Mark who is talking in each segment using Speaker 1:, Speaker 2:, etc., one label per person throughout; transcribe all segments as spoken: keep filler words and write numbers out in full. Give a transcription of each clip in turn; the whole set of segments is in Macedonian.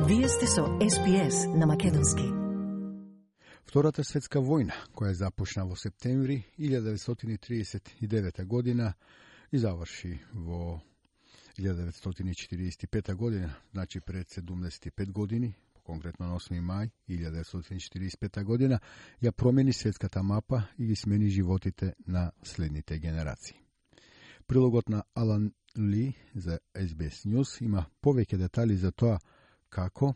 Speaker 1: Вие сте со Ес Би Ес на македонски.
Speaker 2: Втората светска војна, која започна во септември илјада деветстотини триесет и девета година и заврши во илјада деветстотини четиридесет и пета година, значи пред седумдесет и пет години, конкретно на осми мај илјада деветстотини четиридесет и пета година, ја промени светската мапа и ги смени животите на следните генерации. Прилогот на Алан Ли за Ес Би Ес News има повеќе детали за тоа како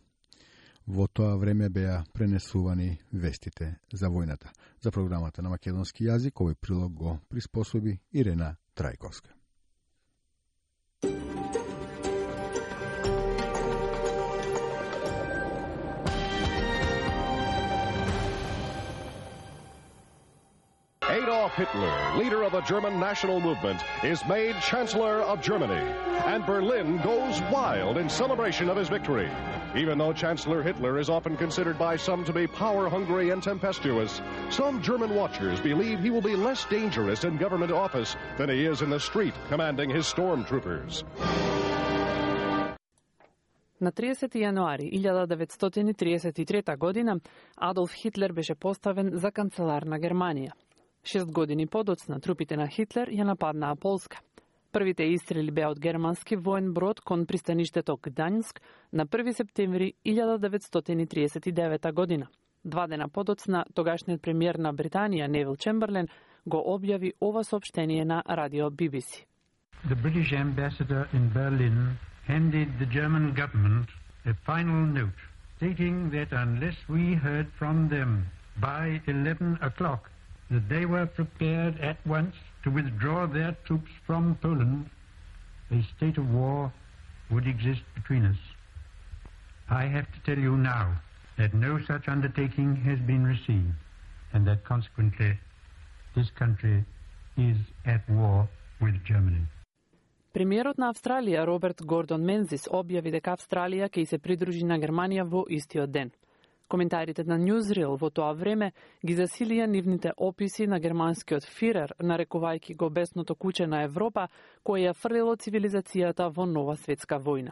Speaker 2: во тоа време беа пренесувани вестите за војната. За програмата на македонски јазик овој прилог го приспособи Ирена Трајковска.
Speaker 3: Adolf Hitler, leader of the German national movement, is made Chancellor of Germany, and Berlin goes wild in celebration of his victory. Even though Chancellor Hitler is often considered by some to be power-hungry and tempestuous, some German watchers believe he will be less dangerous in government office than he is in the street commanding his stormtroopers.
Speaker 4: На триесети јануари илјада деветстотини триесет и трета година Адолф Хитлер беше поставен за канцелар на Германија. Шест години подоцна трупите на Хитлер ја нападнаа Полска. Првите истрели беа од германски воен брод кон пристаништето Гданјск на први септември илјада деветстотини триесет и девета година. Два дена подоцна тогашниот премиер на Британија Невил Чемберлен го објави ова соопштение на радио Би Би Си.
Speaker 5: The British ambassador in Berlin handed the German government a final note stating that unless we heard from them by eleven o'clock that they were prepared at once to withdraw their troops from Poland, a state of war would exist between us. I have to tell you now that no such undertaking has been received, and that consequently this country is at war with Germany.
Speaker 4: Премиерот на Австралија Роберт Гордон Мензис објави дека Австралија ќе се придружи на Германија во истиот ден. Коментарите на Newsreel во тоа време ги засилија нивните описи на германскиот фирер, нарекувајќи го бесното куче на Европа, кое ја фрлило цивилизацијата во нова светска војна.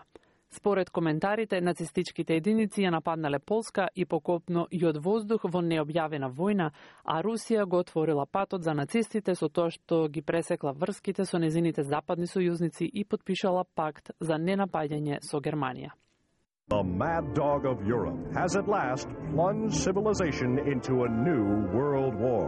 Speaker 4: Според коментарите, нацистичките единици ја нападнале Полска и покопно и од воздух во необјавена војна, а Русија го отворила патот за нацистите со тоа што ги пресекла врските со незините западни сојузници и подпишала пакт за ненапаѓање со Германија.
Speaker 3: The mad dog of Europe has at last plunged civilization into a new world war.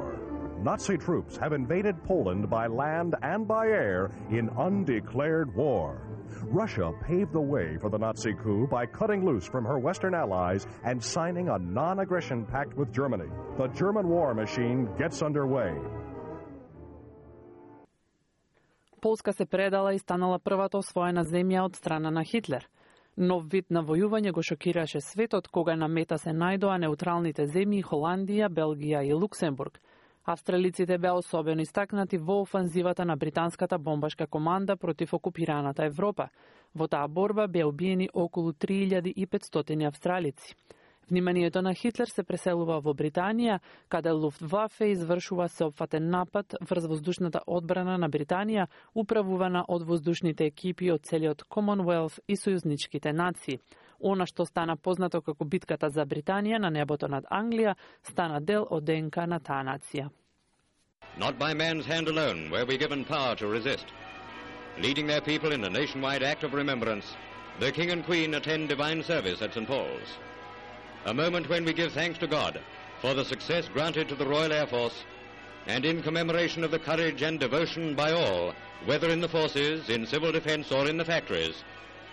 Speaker 3: Nazi troops have invaded Poland by land and by air in undeclared war. Russia paved the way for the Nazi coup by cutting loose from her Western allies and signing a non-aggression pact with Germany. The German war machine gets underway.
Speaker 4: Полска се предала и станала првата освоена земја од страна на Хитлер. Нов вид на војување го шокираше светот кога на мета се најдоа неутралните земји Холандија, Белгија и Луксембург. Австралиците беа особено истакнати во офанзивата на британската бомбашка команда против окупираната Европа. Во таа борба беа убиени околу три илјади и петстотини австралици. Вниманието на Хитлер се преселува во Британија, каде Луфтвафе извршува сеопфатен напад врз воздушната одбрана на Британија, управувана од воздушните екипи од целиот Commonwealth и сојузничките нации. Она што стана познато како битката за Британија на небото над Англија, стана дел од ДНК на таа нација.
Speaker 6: Not by man's hand alone were we given power to resist. Leading their people in a nationwide act of remembrance, the King and Queen attend divine service at Saint Paul's. A moment when we give thanks to God for the success granted to the Royal Air Force and in commemoration of the courage and devotion by all, whether in the forces, in civil defense or in the factories,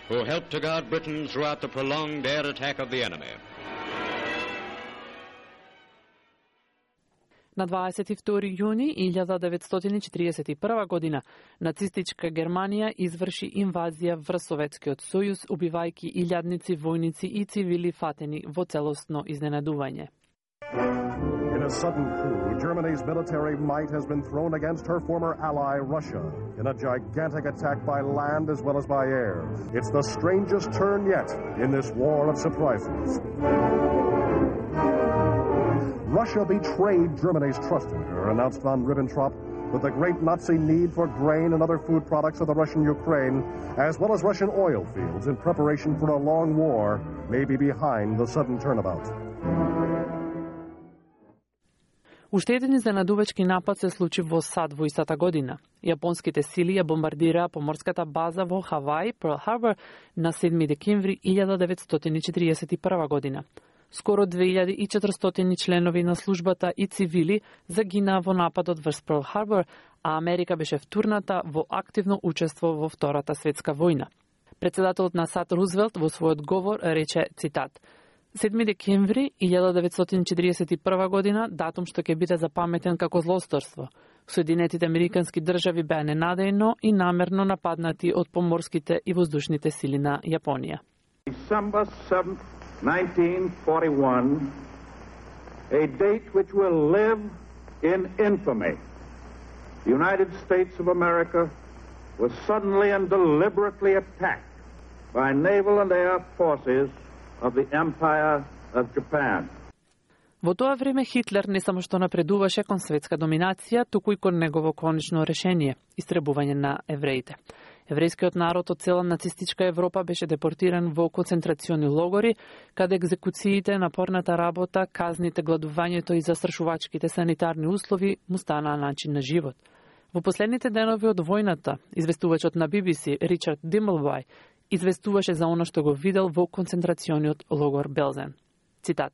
Speaker 6: who helped to guard Britain throughout the prolonged air attack of the enemy.
Speaker 4: На дваесет и втори јуни илјада деветстотини четиридесет и прва година нацистичка Германија изврши инвазија врз Советскиот сојуз, убивајќи илјадници војници и цивили фатени во целосно изненадување.
Speaker 3: In a sudden coup, Germany's military might has been thrown against her former ally, Russia, in a gigantic attack by land as well as by air. It's the strangest turn yet in this war of surprises. Russia betrayed Germany's trust in her, announced von Ribbentrop, with the great Nazi need for grain and other food products of the Russian Ukraine, as well as Russian oil fields in preparation for a long war, may be behind the sudden turnabout.
Speaker 4: Уште еден изненадувачки напад се случи во САД во истата година. Јапонските сили ја бомбардираа поморската база во Хавај, Перл Харбор, на седми декември илјада деветстотини четиридесет и прва година. Скоро две илјади и четиристотини членови на службата и цивили загинаа во нападот врз Перл Харбор, а Америка беше втурната во активно учество во Втората светска војна. Председателот на САД Рузвелт во својот говор рече, цитат: седми декември илјада деветстотини четиридесет и прва година, датум што ќе биде запаметен како злосторство. Соединетите американски држави беа ненадејно и намерно нападнати од поморските и воздушните сили на Јапонија.
Speaker 7: December seventh, nineteen forty-one, a date which will live in infamy. The United States of America was suddenly and deliberately attacked by naval and air forces of the Empire of Japan.
Speaker 4: Во тоа време Хитлер не само што напредуваше кон светска доминација, туку и кон негово конечно решение – истребување на евреите. Еврејскиот народ од цела нацистичка Европа беше депортиран во концентрациони логори, каде екзекуциите, напорната работа, казните, гладувањето и застрашувачките санитарни услови му станаа начин на живот. Во последните денови од војната, известувачот на Би Би Си Ричард Димблвај известуваше за оно што го видел во концентрациониот логор Белзен. Цитат: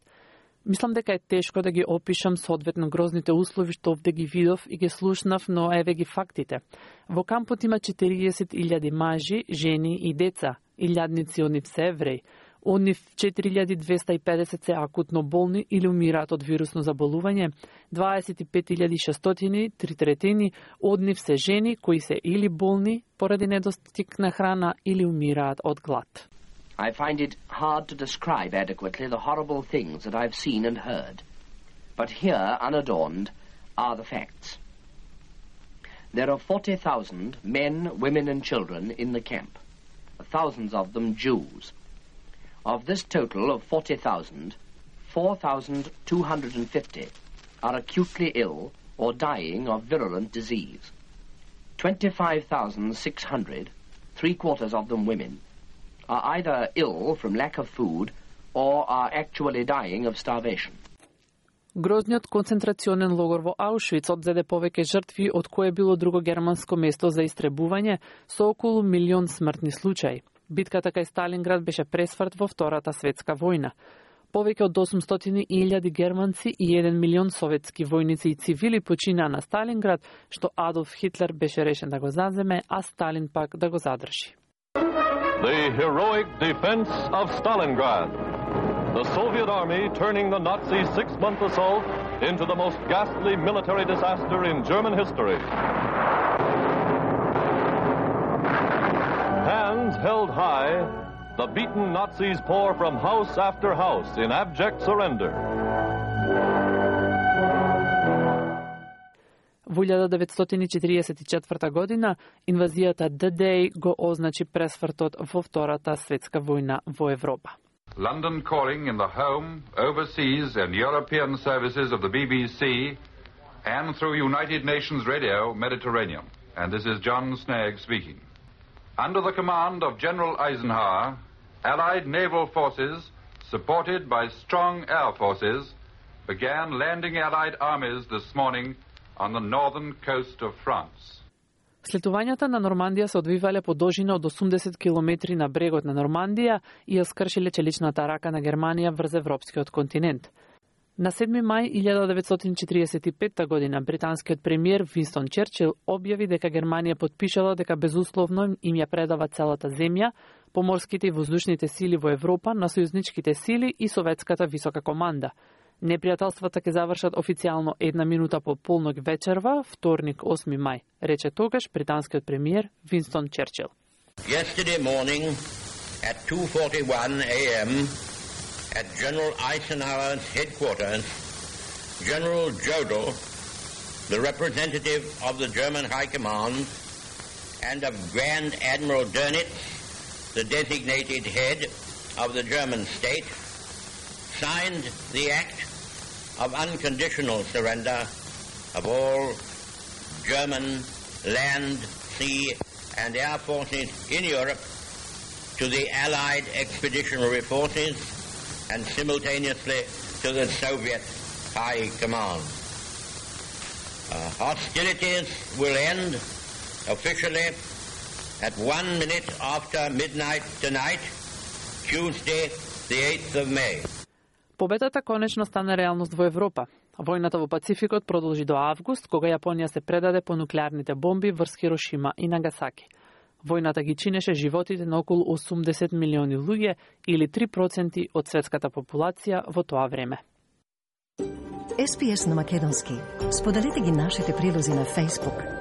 Speaker 4: "Мислам дека е тешко да ги опишам соодветно грозните услови што овде ги видов и ги слушнав, но еве ги фактите. Во кампот има четириесет илјади мажи, жени и деца, илјадници од нив се евреи. Од нив четири илјади двесте и педесет се акутно болни или умираат од вирусно заболување, дваесет и пет илјади и шестстотини, три третини од нив се жени кои се или болни поради недостиг на храна или умираат од глад."
Speaker 8: I find it hard to describe adequately the horrible things that I've seen and heard. But here, unadorned, are the facts. There are forty thousand men, women and children in the camp, thousands of them Jews. Of this total of forty thousand, four thousand two hundred fifty are acutely ill or dying of virulent disease. twenty-five thousand six hundred, three quarters of them women, are either ill from lack of food or are actually dying of starvation.
Speaker 4: Грозниот концентрационен логор во Аушвиц одзеде повеќе жртви од кое било друго германско место за истребување со околу милион смртни случаи. Битката кај Сталинград беше пресврт во Втората светска војна. Повеќе од осумстотини илјади германци и еден милион советски војници и цивили починаа на Сталинград, што Адолф Хитлер беше решен да го заземе, а Сталин пак да го задржи.
Speaker 9: The heroic defense of Stalingrad. The Soviet army turning the Nazi six-month assault into the most ghastly military disaster in German history. Hands held high, the beaten Nazis pour from house after house in abject surrender.
Speaker 4: Во илјада деветстотини четириесет и четврта година, инвазијата Д-Дей го означи пресвртот во Втората светска војна во Европа.
Speaker 10: London calling in the home, overseas and European services of the B B C and through United Nations Radio Mediterranean. And this is John Snagg speaking. Under the command of General Eisenhower, Allied naval forces, supported by strong air forces, began landing Allied armies this morning on the northern coast of France.
Speaker 4: Слетувањата на Нормандија се одвивале по должина од осумдесет километри на брегот на Нормандија и ја скршиле челичната рака на Германија врз европскиот континент. На седми мај илјада деветстотини четириесет и петта година британскиот премиер Винстон Черчил објави дека Германија потпишала дека безусловно им ја предава целата земја, поморските и воздушните сили во Европа на сојузничките сили и советската висока команда. Непријателствата ќе завршат официјално една минута по полнок вечерва, вторник осми мај, рече тогаш британскиот премиер Винстон Черчил.
Speaker 11: Yesterday morning at two forty-one a m at General Eisenhower's headquarters, General Jodl, the representative of the German High Command, and of Grand Admiral Dönitz, the designated head of the German state, signed the act of unconditional surrender of all German land, sea, and air forces in Europe to the Allied expeditionary forces and simultaneously to the Soviet High Command. Uh, hostilities will end officially at one minute after midnight tonight, Tuesday, the eighth of May.
Speaker 4: Победата конечно стана реалност во Европа. Војната во Пацификот продолжи до август, кога Јапонија се предаде по нуклеарните бомби врз Хирошима и Нагасаки. Војната ги чинеше животите на околу осумдесет милиони луѓе или три проценти од светската популација во тоа време.
Speaker 1: Ес Би Ес на македонски. Споделете ги нашите прилози на Facebook,